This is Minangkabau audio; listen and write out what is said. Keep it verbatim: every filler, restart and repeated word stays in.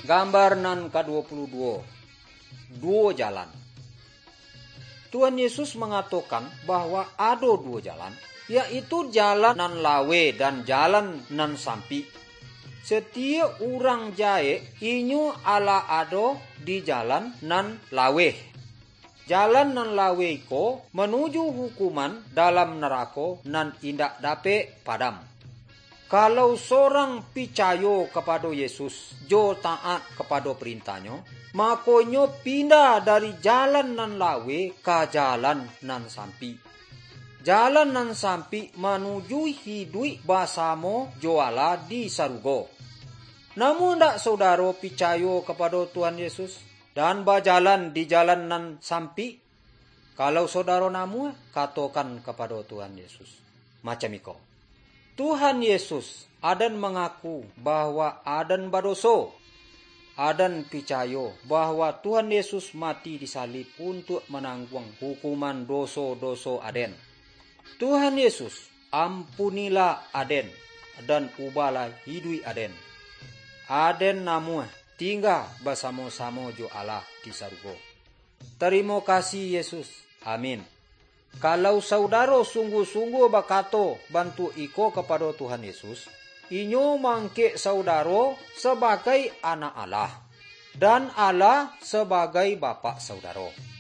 Gambar nan kaduo puluah duo, duo jalan. Tuhan Yesus mangatokan bahwa ado duo jalan, yaitu jalan nan laweh dan jalan nan sampik. Satiok urang jahek, inyo alah ado di jalan nan laweh. Jalan nan laweh ko manuju hukuman dalam narako nan indak dapek padam. Kalau surang picayo kapado Yesus, jo taat kapado parentah-Nyo, mako inyo pindah dari jalan nan laweh ka jalan nan sampik. Jalan nan sampik manuju iduik basamo jo Allah di sarugo. Namuah ndak saudaro picayo kapado Tuhan Yesus, dan bajalan di jalan nan sampik? Kalau saudaro namuah, katokan kapado Tuhan Yesus macam iko, "Tuhan Yesus, Aden mangaku bahwa Aden badoso. Aden picayo bahwa Tuhan Yesus mati di salib untuak manangguang hukuman doso-doso Aden. Tuhan Yesus, ampunilah Aden, dan ubahlah iduik Aden. Aden namuah tingga basamo-samo jo Allah di sarugo." Tarimo kasih, Yesus. Amin. Kalau saudaro sungguah-sungguah bakato bantuak iko kapado Tuhan Yesus, inyo maangkek saudaro sabagai anak Allah, dan Allah sabagai Bapak saudaro.